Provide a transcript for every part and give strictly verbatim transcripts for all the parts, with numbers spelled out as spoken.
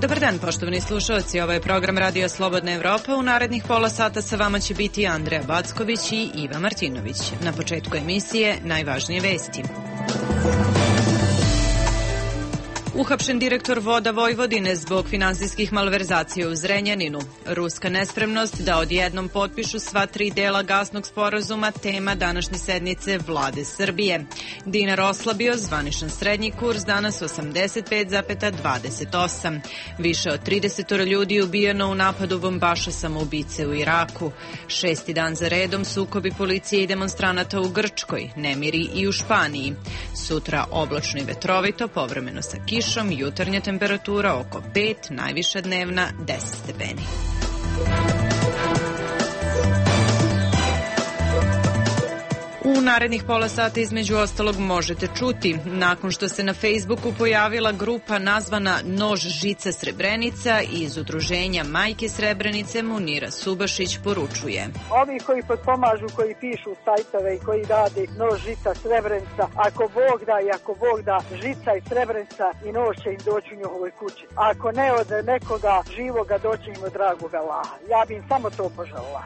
Dobar dan, poštovani slušalci. Ovo je program Radio Slobodna Evropa. U narednih pola sata sa vama će biti Andreja Backović i Iva Martinović. Na početku emisije najvažnije vesti. Uhapšen direktor Voda Vojvodine zbog finansijskih malverzacija u Zrenjaninu. Ruska nespremnost da odjednom potpišu sva tri dela gasnog sporazuma, tema današnje sednice vlade Srbije. Dinar oslabio, zvaničan srednji kurs danas osamdeset pet zarez dvadeset osam. Više od trideset ljudi ubijeno u napadu bombaša samoubice u Iraku. Šesti dan za redom sukobi policije i demonstranata u Grčkoj, nemiri i u Španiji. Sutra oblačno i vetrovito, povremeno sa kišom. Jutarnja temperatura oko pet, najviša dnevna deset stepeni. U narednih pola sata između ostalog možete čuti, nakon što se na Facebooku pojavila grupa nazvana Nož žica Srebrenica iz udruženja Majke Srebrenice, Munira Subašić poručuje. Ovi koji potpomažu, koji pišu sajtove i koji rade Nož žica Srebrenica, ako Bog da i ako Bog da, žica i Srebrenica i nož će im doći u njihovoj kući. Ako ne od nekoga živoga, doći im od dragoga Allaha. Ja bi im samo to poželjela.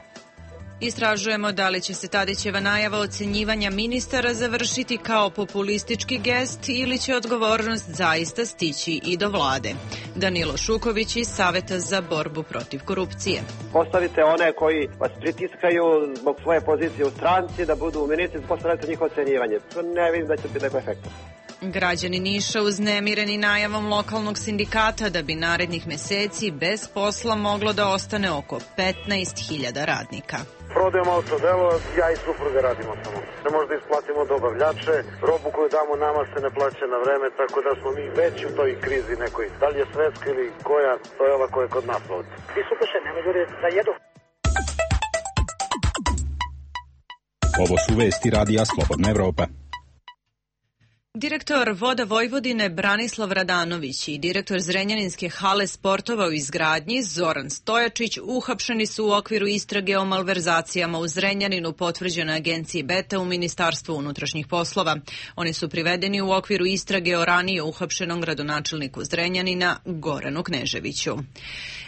Istražujemo da li će se Tadićeva najava ocenjivanja ministara završiti kao populistički gest ili će odgovornost zaista stići i do vlade. Danilo Šuković iz Saveta za borbu protiv korupcije. Postavite one koji vas pritiskaju zbog svoje pozicije u stranci da budu ministri, postavite njihovo ocenjivanje. Ne vidim da će biti neko efekta. Građani Niša uznemireni najavom lokalnog sindikata da bi narednih meseci bez posla moglo da ostane oko petnaest hiljada radnika. Prodajemo autodelo, ja i supruga radimo samo. Ne možda isplatimo dobavljače, robu koju damo nama se ne plaća na vreme, tako da smo mi već u toj krizi nekoj. Da li je svetska ili koja, to je ova koja je kod nas ovdje. Ti su duše, ne mogu da jedu. Ovo su vesti Radija Slobodna Evropa. Direktor Voda Vojvodine Branislav Radanović i direktor Zrenjaninske hale sportova u izgradnji Zoran Stojačić uhapšeni su u okviru istrage o malverzacijama u Zrenjaninu, potvrđene agenciji Beta u Ministarstvu unutrašnjih poslova. Oni su privedeni u okviru istrage o ranije uhapšenom gradonačelniku Zrenjanina Goranu Kneževiću.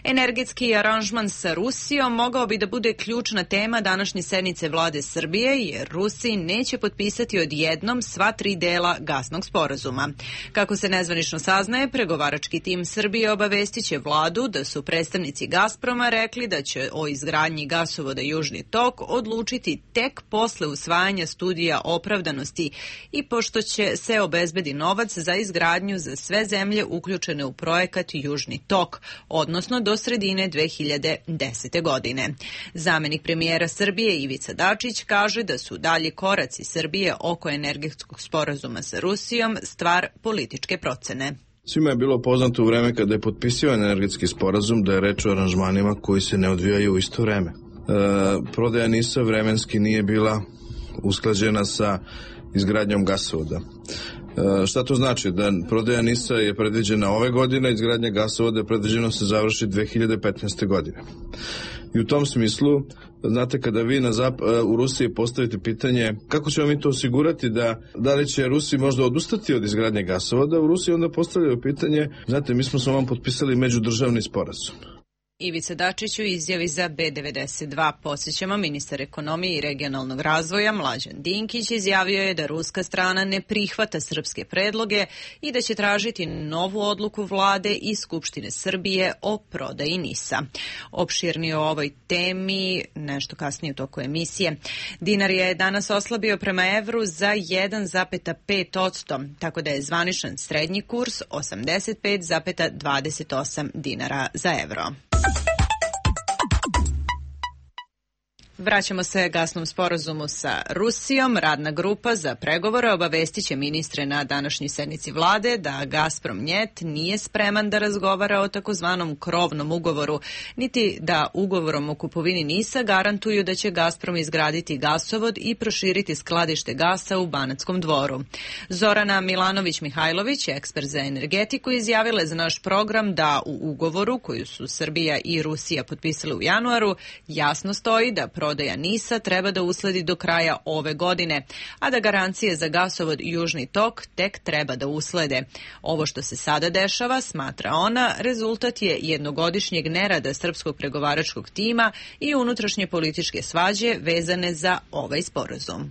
Energetski aranžman sa Rusijom mogao bi da bude ključna tema današnje sednice vlade Srbije, jer Rusi neće potpisati odjednom sva tri dela gasnog sporazuma. Kako se nezvanično saznaje, pregovarački tim Srbije obavestiće vladu da su predstavnici Gazproma rekli da će o izgradnji gasovoda Južni tok odlučiti tek posle usvajanja studija opravdanosti i pošto će se obezbedi novac za izgradnju za sve zemlje uključene u projekat Južni tok, odnosno do sredine dve hiljade desete. godine. Zamenik premijera Srbije Ivica Dačić kaže da su dalji koraci Srbije oko energetskog sporazuma sa Rusijom stvar političke procene. Svima je bilo poznato u vreme kada je potpisivan energetski sporazum da je reč o aranžmanima koji se ne odvijaju u isto vreme. E, prodaja NIS-a vremenski nije bila usklađena sa izgradnjom gasovoda. E, šta to znači? Da prodaja NIS-a je predviđena ove godine, izgradnja gasovoda je predviđena se završi dve hiljade petnaeste. godine. I u tom smislu, znate, kada vi na zap- u Rusiji postavite pitanje kako ćemo mi to osigurati, da, da li će Rusi možda odustati od izgradnje gasovoda, u Rusiji onda postavljaju pitanje, znate, mi smo s vama potpisali međudržavni sporazum. Ivica Dačić u izjavi za B devedeset dva. Podsjećamo, ministar ekonomije i regionalnog razvoja Mlađan Dinkić izjavio je da ruska strana ne prihvata srpske predloge i da će tražiti novu odluku vlade i Skupštine Srbije o prodaji NIS-a. Opširnije o ovoj temi nešto kasnije u toku emisije. Dinar je danas oslabio prema evru za jedan zarez pet posto, tako da je zvaničan srednji kurs osamdeset pet zarez dvadeset osam dinara za evro. Vraćamo se gasnom sporazumu sa Rusijom. Radna grupa za pregovore obavestiće ministre na današnjoj sednici vlade da Gazprom Njet nije spreman da razgovara o takozvanom krovnom ugovoru, niti da ugovorom o kupovini NIS-a garantuju da će Gazprom izgraditi gasovod i proširiti skladište gasa u Banatskom Dvoru. Zorana Milanović-Mihajlović, ekspert za energetiku, izjavila je za naš program da u ugovoru koju su Srbija i Rusija potpisali u januaru jasno stoji da prodaja NIS-a treba da usledi do kraja ove godine, a da garancije za gasovod Južni tok tek treba da uslede. Ovo što se sada dešava, smatra ona, rezultat je jednogodišnjeg nerada srpskog pregovaračkog tima i unutrašnje političke svađe vezane za ovaj sporazum.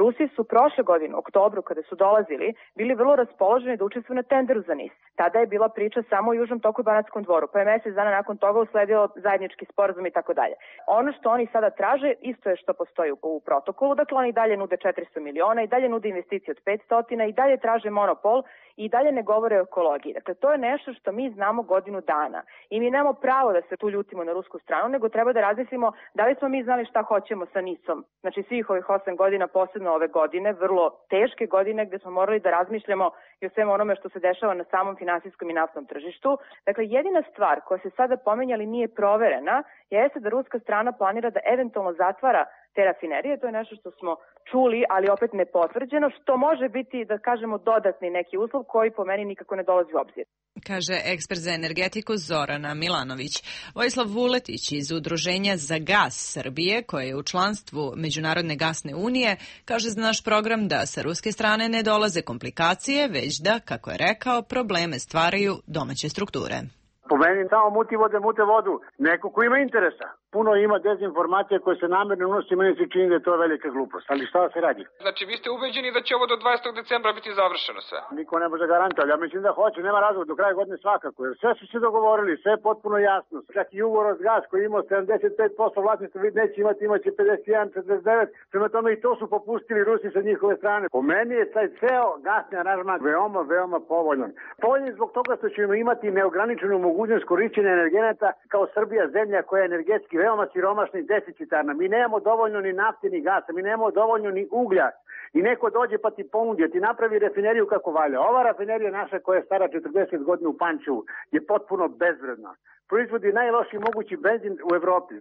Rusi su prošle godine, u oktobru, kada su dolazili, bili vrlo raspoloženi da učestvuju na tenderu za NIS. Tada je bila priča samo o Južnom toku i Banatskom dvoru, pa je mesec dana nakon toga usledio zajednički sporazum i tako dalje. Ono što oni sada traže, isto je što postoji u protokolu, dakle oni dalje nude četiristo miliona i dalje nude investicije od petsto i dalje traže monopol i dalje ne govore o ekologiji. Dakle, to je nešto što mi znamo godinu dana i mi nemamo pravo da se tu ljutimo na rusku stranu, nego treba da razmislimo da li smo mi znali šta hoćemo sa NIS-om. Znači, svih ovih osam godina, posebno ove godine, vrlo teške godine gde smo morali da razmišljamo i o svemu onome što se dešava na samom finansijskom i naftnom tržištu. Dakle, jedina stvar koja se sada pomenjali nije proverena jeste da ruska strana planira da eventualno zatvara te rafinerije. To je nešto što smo čuli, ali opet nepotvrđeno, što može biti, da kažemo, dodatni neki uslov koji po meni nikako ne dolazi u obzir. Kaže ekspert za energetiku Zorana Milanović. Vojislav Vuletić iz Udruženja za gas Srbije, koje je u članstvu Međunarodne gasne unije, kaže za naš program da sa ruske strane ne dolaze komplikacije, već da, kako je rekao, probleme stvaraju domaće strukture. Po meni samo muti vode, mute vodu. Neko ko ima interesa. Puno ima dezinformacija koje se namerno unosi, meni se čini da je to velika glupost. Ali šta se radi? Znači, vi ste ubeđeni da će ovo do dvadesetog decembra biti završeno sve? Niko ne može garantati, ja mislim da hoće, nema razloga, do kraja godine svakako. Jer sve su se dogovorili, sve je potpuno jasno. Čak i Ugoros-Gas koji imao sedamdeset pet posto vlasništva, vid neće imati, imaće pedeset jedan četrdeset devet. Prema tome i to su popustili Rusi sa njihove strane. Po meni je taj ceo gasni aranžman veoma, veoma povoljan. Povoljan zbog toga što ćemo imati neograničenu mogućnost korišćenja energenata kao Srbija, zemlja koja je energetski veoma siromašna i deficitarna. Mi nemamo dovoljno ni nafte ni gasa, mi nemamo dovoljno ni uglja. I neko dođe pa ti ponudi, ti napravi rafineriju kako valja. Ova rafinerija naša koja je stara četrdeset godina u Pančevu je potpuno bezvredna. Proizvodi najlošiji mogući benzin u Evropi.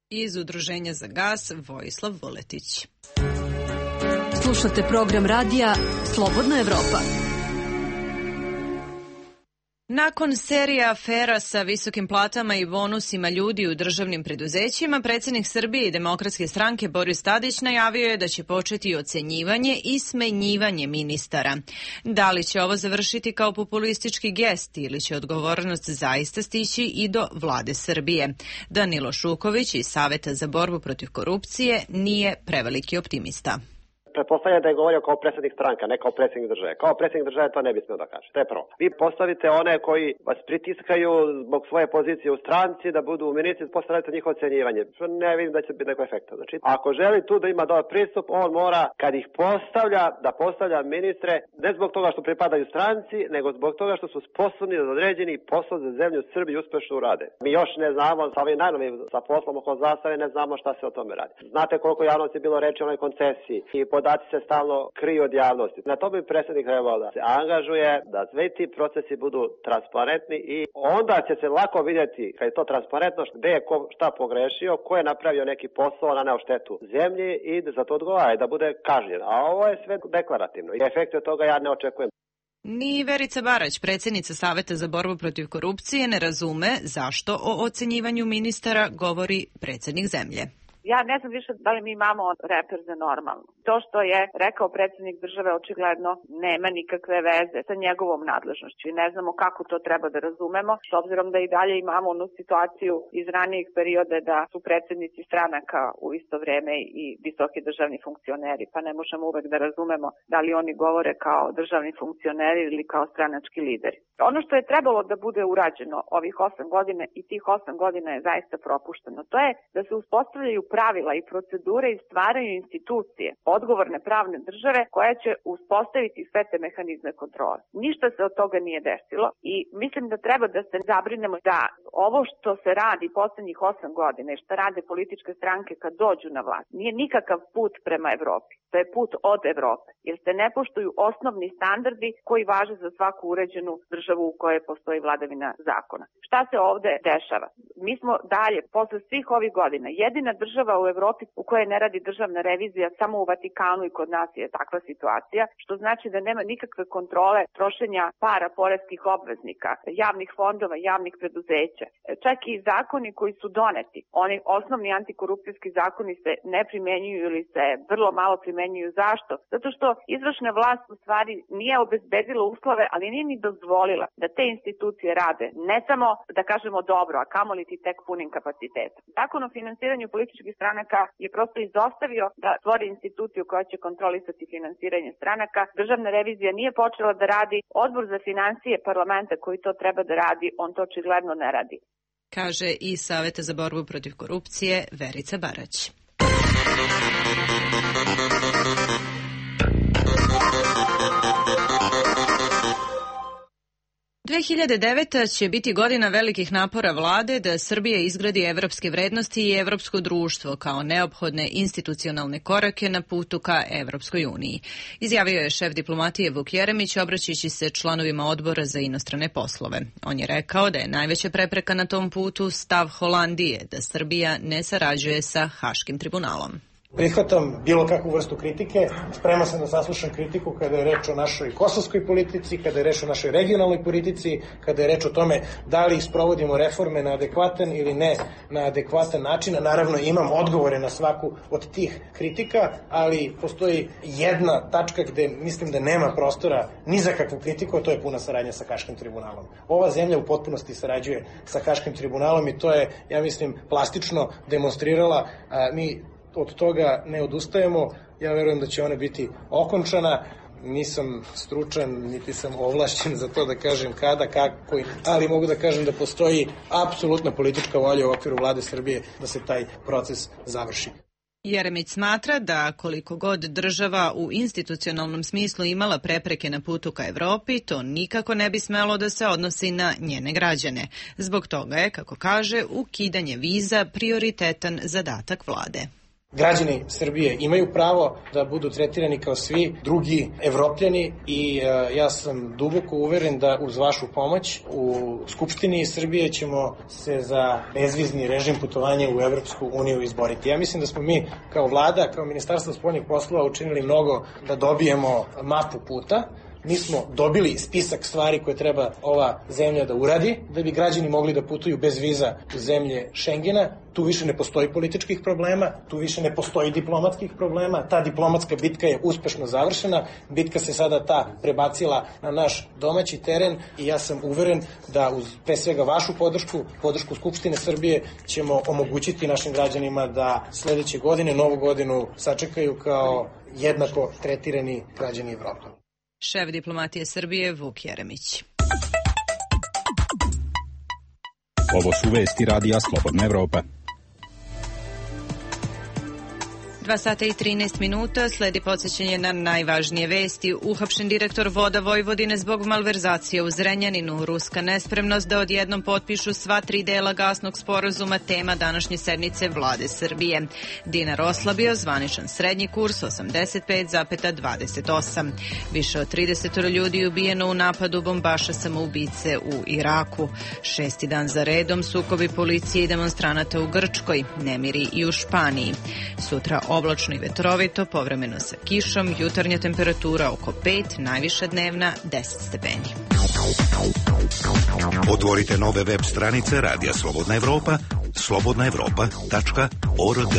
Iz Udruženja za gas Vojislav Vuletić. Slušate program radija Slobodna Evropa. Nakon serije afera sa visokim platama i bonusima ljudi u državnim preduzećima, predsjednik Srbije i Demokratske stranke Boris Tadić najavio je da će početi ocenjivanje i smenjivanje ministara. Da li će ovo završiti kao populistički gest ili će odgovornost zaista stići i do vlade Srbije? Danilo Šuković iz Saveta za borbu protiv korupcije nije preveliki optimista. Pretpostavljam da je govorio kao predsjednik stranka, ne kao predsjednik države. Kao predsjednik države to ne bi smio da kaže. To je prvo. Vi postavite one koji vas pritiskaju zbog svoje pozicije u stranci da budu ministri, postavite njihovo ocenjivanje. Ne vidim da će biti neko efekta. Znači, ako želi tu da ima dobar pristup, on mora, kad ih postavlja, da postavlja ministre ne zbog toga što pripadaju stranci, nego zbog toga što su sposobni da određeni posao za zemlju Srbiju uspešno urade. Mi još ne znamo, sa ovim najnovim, sa poslom oko zastave, ne znamo šta se o tome radi. Znate koliko javnosti je bilo reči o onoj koncesiji i podaci se stalno kriju od javnosti. Na to bi predsjednik trebao da se angažuje, da sve ti procesi budu transparentni i onda će se lako vidjeti, kad je to transparentno, gde je ko šta pogrešio, ko je napravio neki posao na neo štetu zemlji i da za to odgovara i da bude kažnjen. A ovo je sve deklarativno i efekte toga ja ne očekujem. Ni Verica Barać, predsjednica Saveta za borbu protiv korupcije, ne razume zašto o ocenjivanju ministara govori predsjednik zemlje. Ja ne znam više da li mi imamo reper za normalno. To što je rekao predsjednik države očigledno nema nikakve veze sa njegovom nadležnošću i ne znamo kako to treba da razumemo, s obzirom da i dalje imamo onu situaciju iz ranijih perioda da su predsjednici stranaka u isto vrijeme i visoki državni funkcioneri, pa ne možemo uvek da razumemo da li oni govore kao državni funkcioneri ili kao stranački lideri. Ono što je trebalo da bude urađeno ovih osam godina i tih osam godina je zaista propušteno. To je da se uspostavljaju pravila i procedure i stvaraju institucije, odgovorne pravne države koja će uspostaviti sve te mehanizme kontrole. Ništa se od toga nije desilo i mislim da treba da se zabrinemo da ovo što se radi poslednjih osam godina i što rade političke stranke kad dođu na vlast nije nikakav put prema Evropi. To je put od Evrope. jer se ne poštuju osnovni standardi koji važe za svaku uređenu državu u kojoj postoji vladavina zakona. Šta se ovde dešava? Mi smo dalje, posle svih ovih godina, jedina država u Evropi u kojoj ne radi državna revizija, samo u Vatikanu i kod nas je takva situacija, što znači da nema nikakve kontrole trošenja para poreskih obveznika, javnih fondova, javnih preduzeća. Čak i zakoni koji su doneti, oni osnovni antikorupcijski zakoni se ne primenjuju ili se vrlo malo primenjuju. Zašto? Zato što izvršna vlast u stvari nije obezbedila uslove, ali nije ni dozvolila da te institucije rade ne samo, da kažemo, dobro, a kamoli ti tek punim kapacitetom. Zakon o finansiranju političkih stranaka je prosto izostavio da stvori instituciju koja će kontrolisati finansiranje stranaka. Državna revizija nije počela da radi. Odbor za financije parlamenta koji to treba da radi, on to očigledno ne radi. Kaže i Saveta za borbu protiv korupcije Verica Barać. dve hiljade deveta. će biti godina velikih napora vlade da Srbija izgradi evropske vrednosti i evropsko društvo kao neophodne institucionalne korake na putu ka Evropskoj uniji. Izjavio je šef diplomatije Vuk Jeremić obraćajući se članovima odbora za inostrane poslove. On je rekao da je najveća prepreka na tom putu stav Holandije da Srbija ne sarađuje sa Haškim tribunalom. Prihvatam bilo kakvu vrstu kritike, spreman sam da saslušam kritiku kada je reč o našoj kosovskoj politici, kada je reč o našoj regionalnoj politici, kada je reč o tome da li sprovodimo reforme na adekvatan ili ne na adekvatan način. Naravno imam odgovore na svaku od tih kritika, ali postoji jedna tačka gde mislim da nema prostora ni za kakvu kritiku, a to je puna saradnja sa Haškim tribunalom. Ova zemlja u potpunosti sarađuje sa Haškim tribunalom i to je, ja mislim, plastično demonstrirala. A, mi od toga ne odustajemo, ja verujem da će ona biti okončana, nisam stručan, niti sam ovlašćen za to da kažem kada, kako, ali mogu da kažem da postoji apsolutna politička volja u okviru vlade Srbije da se taj proces završi. Jeremić smatra da koliko god država u institucionalnom smislu imala prepreke na putu ka Evropi, to nikako ne bi smelo da se odnosi na njene građane. Zbog toga je, kako kaže, ukidanje viza prioritetan zadatak vlade. Građani Srbije imaju pravo da budu tretirani kao svi drugi Evropljani i e, ja sam duboko uveren da uz vašu pomoć u Skupštini Srbije ćemo se za bezvizni režim putovanja u Evropsku uniju izboriti. Ja mislim da smo mi kao vlada, kao Ministarstvo spoljnih poslova učinili mnogo da dobijemo mapu puta. Mi smo dobili spisak stvari koje treba ova zemlja da uradi, da bi građani mogli da putuju bez viza u zemlje Šengena. Tu više ne postoji političkih problema, tu više ne postoji diplomatskih problema. Ta diplomatska bitka je uspešno završena. Bitka se sada ta prebacila na naš domaći teren i ja sam uveren da uz pre svega vašu podršku, podršku Skupštine Srbije, ćemo omogućiti našim građanima da sledeće godine, novu godinu, sačekaju kao jednako tretirani građani Evrope. Šef diplomatije Srbije Vuk Jeremić. Ovo su vesti radija Slobodna Evropa. Dva sata i trinaest minuta, sledi podsjećanje na najvažnije vesti. Uhapšen direktor Voda Vojvodine zbog malverzacije u Zrenjaninu. Ruska nespremnost da odjednom potpišu sva tri dela gasnog sporazuma, tema današnje sednice vlade Srbije. Dinar oslabio, zvaničan srednji kurs osamdeset pet zarez dvadeset osam. Više od trideset ljudi ubijeno u napadu bombaša samoubice u Iraku. Šesti dan za redom sukobi policije i demonstranata u Grčkoj, nemiri i u Španiji. Sutra oblačno i vetrovito, povremeno sa kišom, jutarnja temperatura oko pet, najviša dnevna deset stepeni. Otvorite nove web stranice Radija Slobodna Evropa, slobodna evropa tačka org.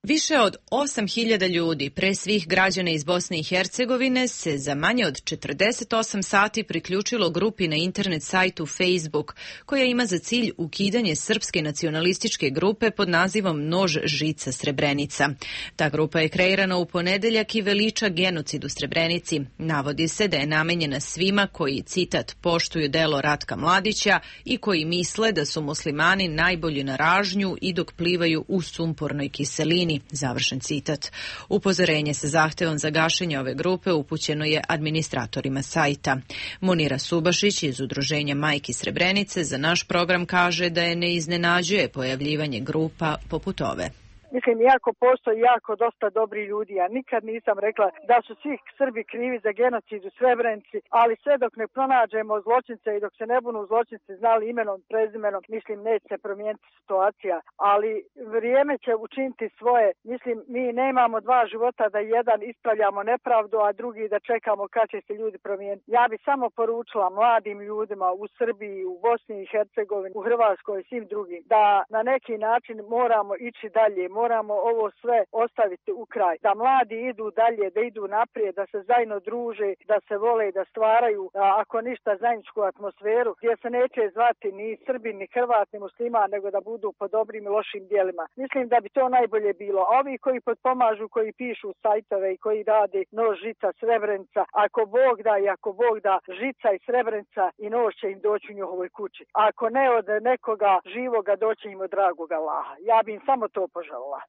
Više od osam hiljada ljudi, pre svih građana iz Bosne i Hercegovine, se za manje od četrdeset osam sati priključilo grupi na internet sajtu Facebook, koja ima za cilj ukidanje srpske nacionalističke grupe pod nazivom Nož žica Srebrenica. Ta grupa je kreirana u ponedeljak i veliča genocid u Srebrenici. Navodi se da je namenjena svima koji, citat, poštuju delo Ratka Mladića i koji misle da su muslimani najbolji na ražnju i dok plivaju u sumpornoj kiselini. Završen citat. Upozorenje sa zahtevom za gašenje ove grupe upućeno je administratorima sajta. Munira Subašić iz Udruženja Majki Srebrenice za naš program kaže da je ne iznenađuje pojavljivanje grupa poput ove. Mislim, iako postoji jako dosta dobri ljudi, ja nikad nisam rekla da su svi Srbi krivi za genocid u Srebrenici, ali sve dok ne pronađemo zločince i dok se ne budu zločinci znali imenom, prezimenom, mislim, neće se promijeniti situacija, ali vrijeme će učiniti svoje. Mislim, mi nemamo dva života da jedan ispravljamo nepravdu, a drugi da čekamo kad će se ljudi promijeniti. Ja bi samo poručila mladim ljudima u Srbiji, u Bosni i Hercegovini, u Hrvatskoj i svim drugim, da na neki način moramo ići dalje, moramo ovo sve ostaviti u kraj, da mladi idu dalje, da idu naprijed, da se zajedno druže, da se vole, da stvaraju, ako ništa, zajedničku atmosferu, gdje se neće zvati ni Srbin, ni Hrvat, ni Musliman, nego da budu po dobrim i lošim djelima. Mislim da bi to najbolje bilo. A ovi koji potpomažu, koji pišu sajtove i koji rade nož, žica, Srebrenica, ako Bog da i ako Bog da, žica i Srebrenica i nož će im doći u njihovoj kući. Ako ne od nekoga živoga, doći im od dragog Allaha. Ja bi im samo to poželila.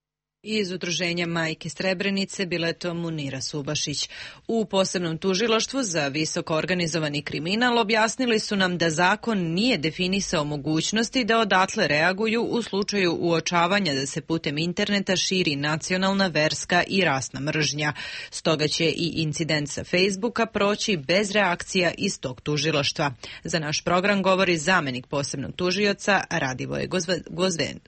Iz Udruženja Majke Srebrenice bila je to Munira Subašić. U posebnom tužilaštvu za visoko organizovani kriminal objasnili su nam da zakon nije definisao mogućnosti da odatle reaguju u slučaju uočavanja da se putem interneta širi nacionalna, verska i rasna mržnja. Stoga će i incident sa Facebooka proći bez reakcija iz tog tužilaštva. Za naš program govori zamenik posebnog tužioca Radivoje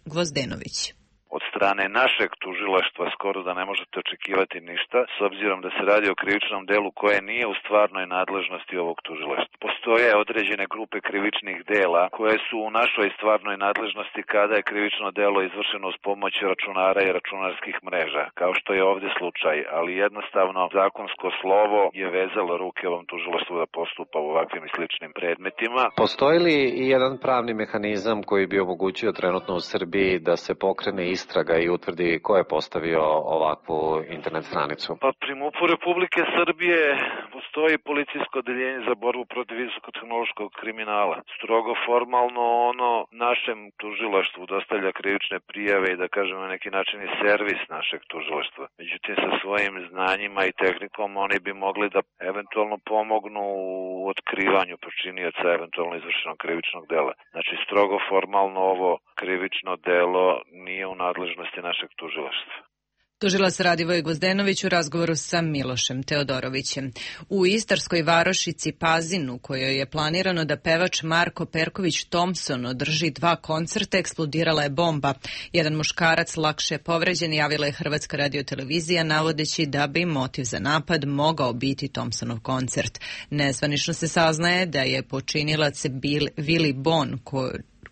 Gvozdenović. Od strane našeg tužilaštva skoro da ne možete očekivati ništa, s obzirom da se radi o krivičnom delu koje nije u stvarnoj nadležnosti ovog tužilaštva. Postoje određene grupe krivičnih dela koje su u našoj stvarnoj nadležnosti kada je krivično delo izvršeno uz pomoć računara i računarskih mreža, kao što je ovdje slučaj, ali jednostavno zakonsko slovo je vezalo ruke ovom tužilaštvu da postupa u ovakvim i sličnim predmetima. Postoji li i jedan pravni mehanizam koji bi omogućio trenutno u Srbiji da se pokrene istraga i utvrdi ko je postavio ovakvu internet stranicu? Pa pri MUP-u Republike Srbije postoji policijsko odeljenje za borbu protiv visokotehnološkog kriminala. Strogo formalno ono našem tužilaštvu dostavlja krivične prijave i da kažemo na neki način i servis našeg tužilaštva. Međutim, sa svojim znanjima i tehnikom oni bi mogli da eventualno pomognu u otkrivanju počinioca eventualno izvršenog krivičnog dela. Znači, strogo formalno ovo krivično delo nije u nadležnosti našeg tužilaštva. Tužilac Radivoj Gvozdenović u razgovoru sa Milošem Teodorovićem. U istarskoj varošici Pazin, u kojoj je planirano da pevač Marko Perković Thompson održi dva koncerta, eksplodirala je bomba. Jedan muškarac lakše je povređen, javila je Hrvatska radiotelevizija, navodeći da bi motiv za napad mogao biti Thompsonov koncert. Nezvanično se saznaje da je počinilac Willy Bon, ko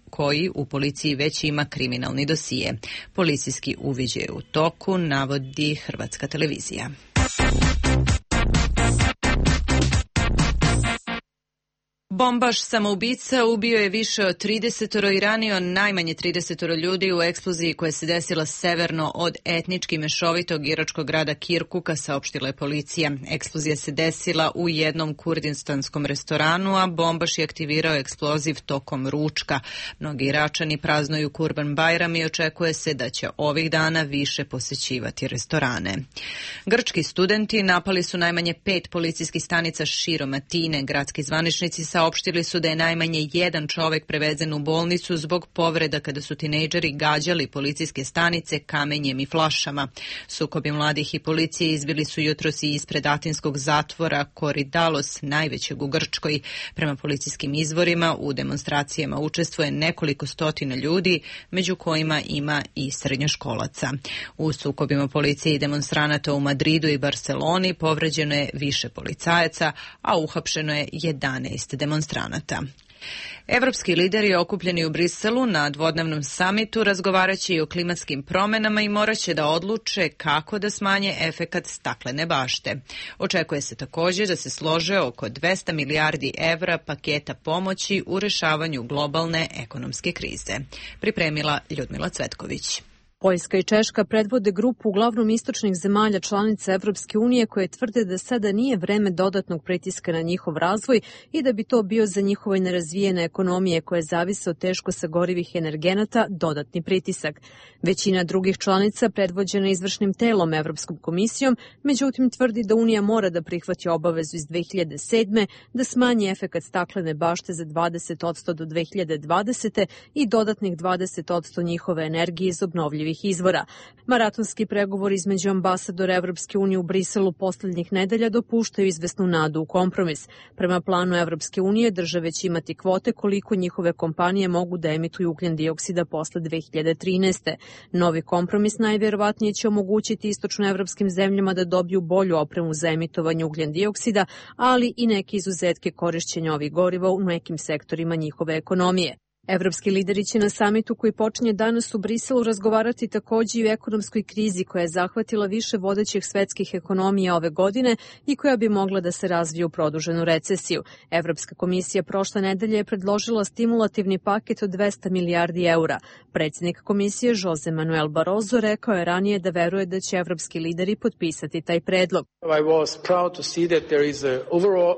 koji u policiji već ima kriminalni dosije. Policijski uviđaj je u toku, navodi Hrvatska televizija. Bombaš samoubica ubio je više od tridesetoro i ranio najmanje tridesetoro ljudi u eksploziji koja se desila severno od etnički mešovitog iračkog grada Kirkuka, saopštila je policija. Eksplozija se desila u jednom kurdistanskom restoranu, a bombaš je aktivirao eksploziv tokom ručka. Mnogi Iračani praznuju Kurban Bajram i očekuje se da će ovih dana više posećivati restorane. Grčki studenti napali su najmanje pet policijskih stanica širom Atine. Gradski zvaničnici saopštili su da je najmanje jedan čovek prevezen u bolnicu zbog povreda kada su tinejdžeri gađali policijske stanice kamenjem i flašama. Sukobi mladih i policije izbili su jutros i ispred atinskog zatvora Koridalos, najvećeg u Grčkoj. Prema policijskim izvorima u demonstracijama učestvuje nekoliko stotina ljudi, među kojima ima i srednjoškolaca. U sukobima policije i demonstranata u Madridu i Barceloni povređeno je više policajaca, a uhapšeno je jedanaest demonstranata. Evropski lideri okupljeni u Briselu na dvodnevnom samitu razgovaraće i o klimatskim promenama i moraće da odluče kako da smanje efekat staklene bašte. Očekuje se također da se slože oko dvesta milijardi evra paketa pomoći u rešavanju globalne ekonomske krize. Pripremila Ljudmila Cvetković. Poljska i Češka predvode grupu uglavnom istočnih zemalja članica Evropske unije koje tvrde da sada nije vreme dodatnog pritiska na njihov razvoj i da bi to bio za njihove nerazvijene ekonomije koje zavise od teško sagorivih energenata dodatni pritisak. Većina drugih članica predvođena izvršnim telom Evropskom komisijom, međutim tvrdi da Unija mora da prihvati obavezu iz dve hiljade sedme da smanji efekat staklene bašte za dvadeset posto do dve hiljade dvadesete i dodatnih dvadeset posto njihove energije iz obnovljivih obnovljivih izvora. Maratonski pregovor između ambasadora Evropske unije u Briselu poslednjih nedelja dopuštaju izvesnu nadu u kompromis. Prema planu Evropske unije države će imati kvote koliko njihove kompanije mogu da emituju ugljen dioksida posle dve hiljade trinaeste. Novi kompromis najverovatnije će omogućiti istočnoevropskim zemljama da dobiju bolju opremu za emitovanje ugljen dioksida, ali i neke izuzetke korišćenja ovih goriva u nekim sektorima njihove ekonomije. Evropski lideri će na samitu koji počinje danas u Briselu razgovarati takođe i o ekonomskoj krizi koja je zahvatila više vodećih svetskih ekonomija ove godine i koja bi mogla da se razvije u produženu recesiju. Evropska komisija prošle nedelje je predložila stimulativni paket od dvesta milijardi eura. Predsjednik komisije Jose Manuel Barroso rekao je ranije da veruje da će evropski lideri potpisati taj predlog.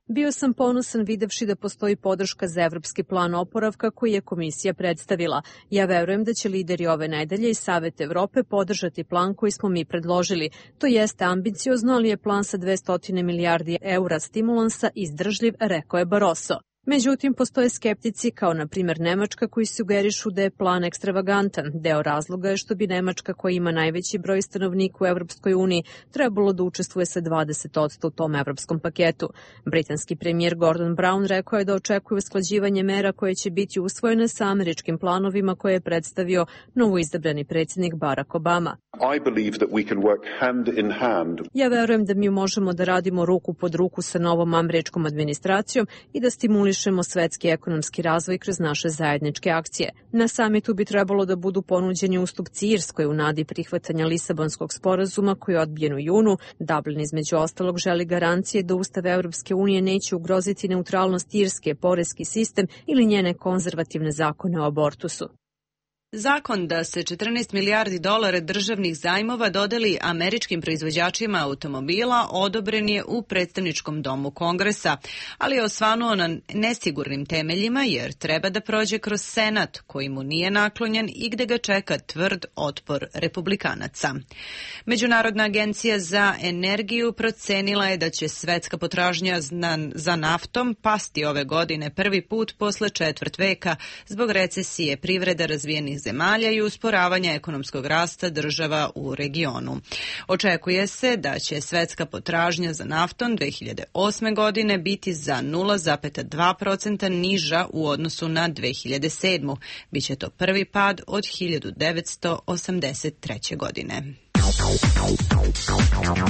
Bio sam ponosan videvši da postoji podrška za evropski plan oporavka koji je komisija predstavila. Ja verujem da će lideri ove nedelje i Savet Evrope podržati plan koji smo mi predložili. To jeste ambiciozno, ali je plan sa dvesta milijardi eura stimulansa izdržljiv, rekao je Barroso. Međutim, postoje skeptici kao na primjer Nemačka koji sugerišu da je plan ekstravagantan. Deo razloga je što bi Nemačka koja ima najveći broj stanovnika u Evropskoj uniji trebalo da učestvuje sa dvadeset posto u tom evropskom paketu. Britanski premijer Gordon Brown rekao je da očekuje usklađivanje mera koje će biti usvojene sa američkim planovima koje je predstavio novoizabrani predsjednik Barack Obama. I believe that we can work hand in hand. Ja verujem da mi možemo da radimo ruku pod ruku sa novom američkom administracijom i da stimulišemo svetski ekonomski razvoj kroz naše zajedničke akcije. Na samitu bi trebalo da budu ponuđeni ustupci Irskoj u nadi prihvatanja Lisabonskog sporazuma koji je odbijen u junu. Dublin između ostalog želi garancije da Ustav Evropske unije neće ugroziti neutralnost Irske, poreski sistem ili njene konzervativne zakone o abortusu. Zakon da se četrnaest milijardi dolara državnih zajmova dodeli američkim proizvođačima automobila odobren je u predstavničkom domu Kongresa, ali je osvanuo na nesigurnim temeljima jer treba da prođe kroz Senat koji mu nije naklonjen i gde ga čeka tvrd otpor republikanaca. Međunarodna agencija za energiju procenila je da će svetska potražnja za naftom pasti ove godine prvi put posle četvrt veka zbog recesije privreda razvijenih zemalja i usporavanja ekonomskog rasta država u regionu. Očekuje se da će svetska potražnja za naftom dve hiljade osme godine biti za nula zarez dva posto niža u odnosu na dve hiljade sedmu. Biće to prvi pad od hiljadu devetsto osamdeset treće. godine.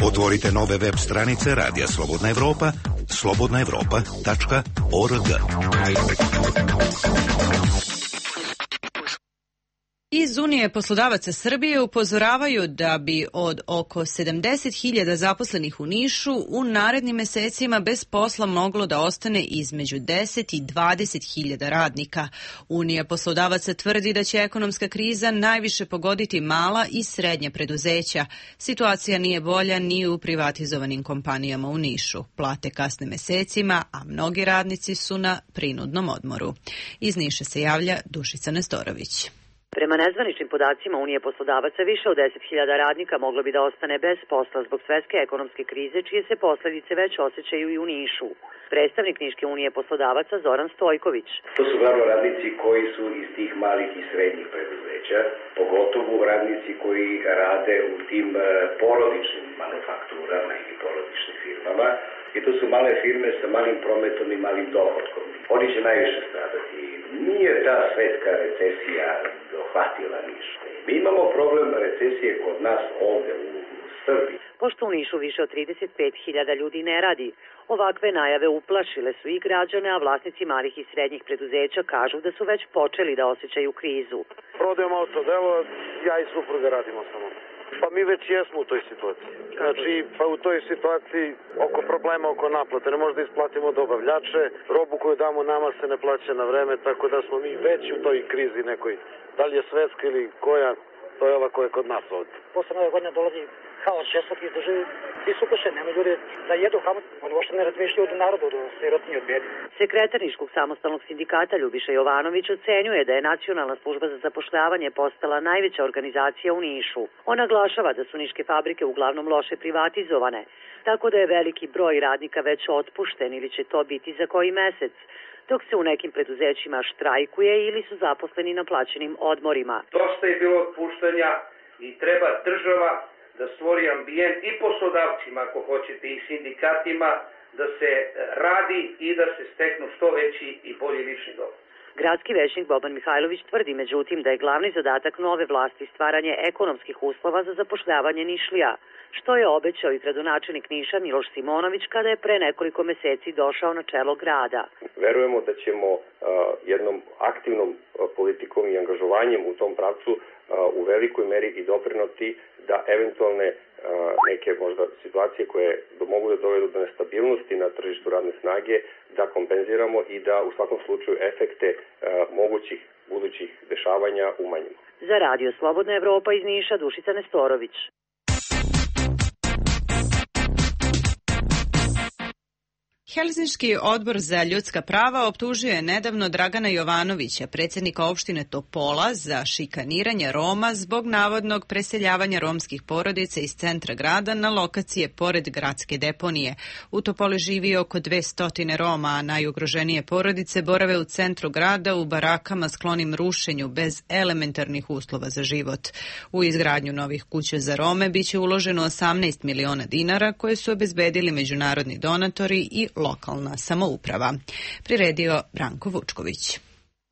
Otvorite nove web stranice Radija Slobodna Evropa, slobodna evropa tačka org. Iz Unije poslodavaca Srbije upozoravaju da bi od oko sedamdeset hiljada zaposlenih u Nišu u narednim mesecima bez posla moglo da ostane između deset i dvadeset hiljada radnika. Unija poslodavaca tvrdi da će ekonomska kriza najviše pogoditi mala i srednja preduzeća. Situacija nije bolja ni u privatizovanim kompanijama u Nišu. Plate kasne mesecima, a mnogi radnici su na prinudnom odmoru. Iz Niša se javlja Dušica Nestorović. Prema nezvaničnim podacima Unije poslodavaca više od deset hiljada radnika moglo bi da ostane bez posla zbog svetske ekonomske krize, čije se posledice već osjećaju i u Nišu. Predstavnik Niške unije poslodavaca Zoran Stojković. To su glavno radnici koji su iz tih malih i srednjih preduzeća, pogotovo radnici koji rade u tim porodičnim manufakturama ili porodičnim firmama. I to su male firme sa malim prometom i malim dohodkom. Oni će najviše stradati. Nije ta svetska recesija dohvatila Niš. Mi imamo problem recesije kod nas ovde u Srbiji. Pošto u Nišu više od trideset pet hiljada ljudi ne radi, ovakve najave uplašile su i građane, a vlasnici malih i srednjih preduzeća kažu da su već počeli da osjećaju krizu. Prodajemo autodelo, ja i supruga radimo samo. Pa mi već jesmo u toj situaciji. Znači, pa u toj situaciji oko problema, oko naplate, ne možda isplatimo dobavljače, robu koju damo nama se ne plaća na vreme, tako da smo mi već u toj krizi nekoj. Da li je svetska ili koja, to je ova koja je kod nas ovdje. Posle nove godine dolazi haos česak iz države, svi su uplašeni, nema ljudi da jedu haos, oni uopšte ne razmišljaju od narodu, od sirotinje, od bedi. Sekretar Niškog samostalnog sindikata Ljubiša Jovanović ocenjuje da je Nacionalna služba za zapošljavanje postala najveća organizacija u Nišu. On naglašava da su niške fabrike uglavnom loše privatizovane, tako da je veliki broj radnika već otpušten ili će to biti za koji mesec, dok se u nekim preduzećima štrajkuje ili su zaposleni na plaćenim odmorima. Dosta je bilo otpuštanja, I treba država da stvori ambijent i poslodavcima, ako hoćete, i sindikatima, da se radi i da se steknu što veći i bolji lični dohodak. Gradski većnik Boban Mihajlović tvrdi međutim da je glavni zadatak nove vlasti stvaranje ekonomskih uslova za zapošljavanje Nišlija, što je obećao i gradonačelnik Niša Miloš Simonović kada je pre nekoliko meseci došao na čelo grada. Verujemo da ćemo uh, jednom aktivnom uh, politikom i angažovanjem u tom pravcu uh, u velikoj meri i doprinoti da eventualne uh, neke možda situacije koje mogu da dovedu do nestabilnosti na tržištu radne snage da kompenziramo i da u svakom slučaju efekte uh, mogućih budućih dešavanja umanjimo. Za Radio Slobodna Evropa iz Niša, Dušica Nestorović. Helsinški odbor za ljudska prava optužio je nedavno Dragana Jovanovića, predsjednika opštine Topola, za šikaniranje Roma zbog navodnog preseljavanja romskih porodica iz centra grada na lokacije pored gradske deponije. U Topoli živi oko dvesta Roma, a najugroženije porodice borave u centru grada u barakama sklonim rušenju bez elementarnih uslova za život. U izgradnju novih kuća za Rome biće uloženo osamnaest miliona dinara koje su obezbedili međunarodni donatori i lokalna samouprava. Priredio Branko Vučković.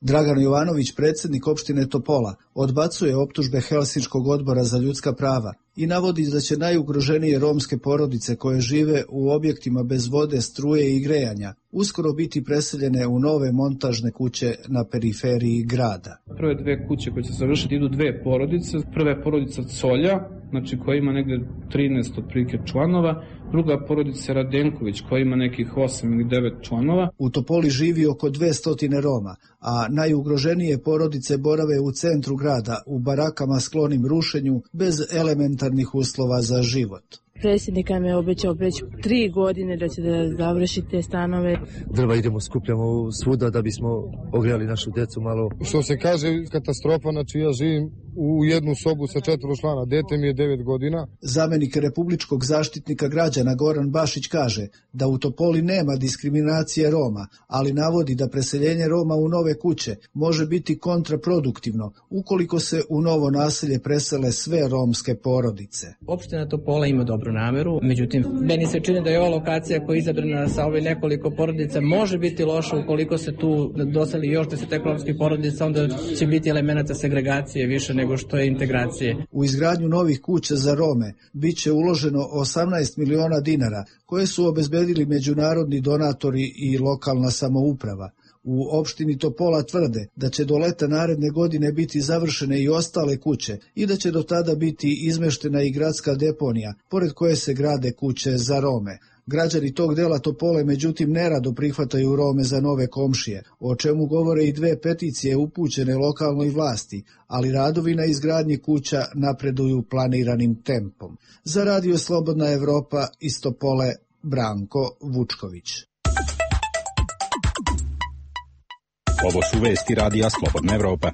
Dragan Jovanović, predsjednik opštine Topola, odbacuje optužbe Helsinškog odbora za ljudska prava i navodi da će najugroženije romske porodice koje žive u objektima bez vode, struje i grejanja uskoro biti preseljene u nove montažne kuće na periferiji grada. Prve dve kuće koje će se završiti idu dve porodice. Prva je porodica Colja, znači koja ima negde trinaest otprilike članova, druga porodica Radenković koja ima nekih osam ili devet članova. U Topoli živi oko dvesta Roma, a najugroženije porodice borave u centru grada u barakama sklonim rušenju bez elementarnih uslova za život. Predsjednik nam je obećao već tri godine da će da završi te stanove. Drva idemo skupljamo svuda da bismo ogrijali našu decu malo. Što se kaže katastrofa, znači ja živim u jednu sobu sa četvoro člana, dete mi je devet godina. Zamenik republičkog zaštitnika građana Goran Bašić kaže da u Topoli nema diskriminacije Roma, ali navodi da preseljenje Roma u nove kuće može biti kontraproduktivno ukoliko se u novo naselje presele sve romske porodice. Opština Topola ima dobru nameru, međutim, meni se čini da je ova lokacija koja je izabrana sa ove nekoliko porodica može biti loša ukoliko se tu doseli još deset romskih porodica, onda će biti elemenata segregacije više nego što je integracije. U izgradnju novih kuća za Rome bit će uloženo osamnaest miliona dinara koje su obezbedili međunarodni donatori i lokalna samouprava. U opštini Topola tvrde da će do leta naredne godine biti završene i ostale kuće i da će do tada biti izmeštena i gradska deponija, pored koje se grade kuće za Rome. Građani tog dela Topole međutim nerado prihvataju Rome za nove komšije, o čemu govore i dve peticije upućene lokalnoj vlasti, ali radovi na izgradnji kuća napreduju planiranim tempom. Za Radio Slobodna Evropa iz Topole, Branko Vučković. Ovo su vesti Radija Slobodna Evropa.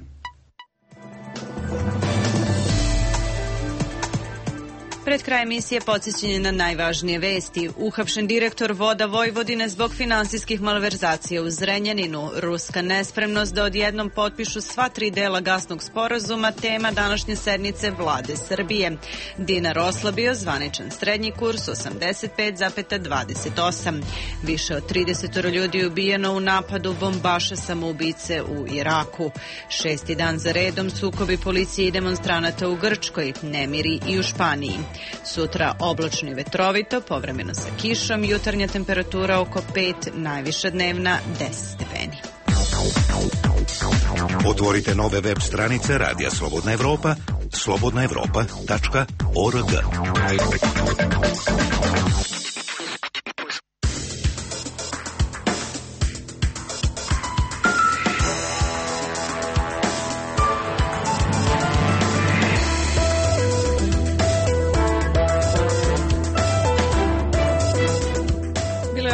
Pred kraj emisije podsjećanje na najvažnije vesti. Uhapšen direktor Voda Vojvodine zbog finansijskih malverzacija u Zrenjaninu. Ruska nespremnost da odjednom potpišu sva tri dela gasnog sporazuma, tema današnje sednice vlade Srbije. Dinar oslabio, zvaničan srednji kurs osamdeset pet zarez dvadeset osam. Više od trideset ljudi ubijeno u napadu bombaša samoubice u Iraku. Šesti dan za redom sukobi policije i demonstranata u Grčkoj, nemiri i u Španiji. Sutra oblačno i vetrovito, povremeno sa kišom, jutarnja temperatura oko pet, najviša dnevna deset stepeni. Otvorite nove web stranice Radija Slobodna Evropa, slobodna evropa tačka org.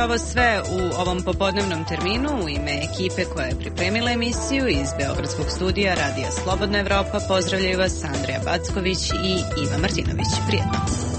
Ovo sve u ovom popodnevnom terminu. U ime ekipe koja je pripremila emisiju iz Beogradskog studija Radija Slobodna Evropa pozdravljaju vas Andreja Backović i Iva Martinović. Prijetno.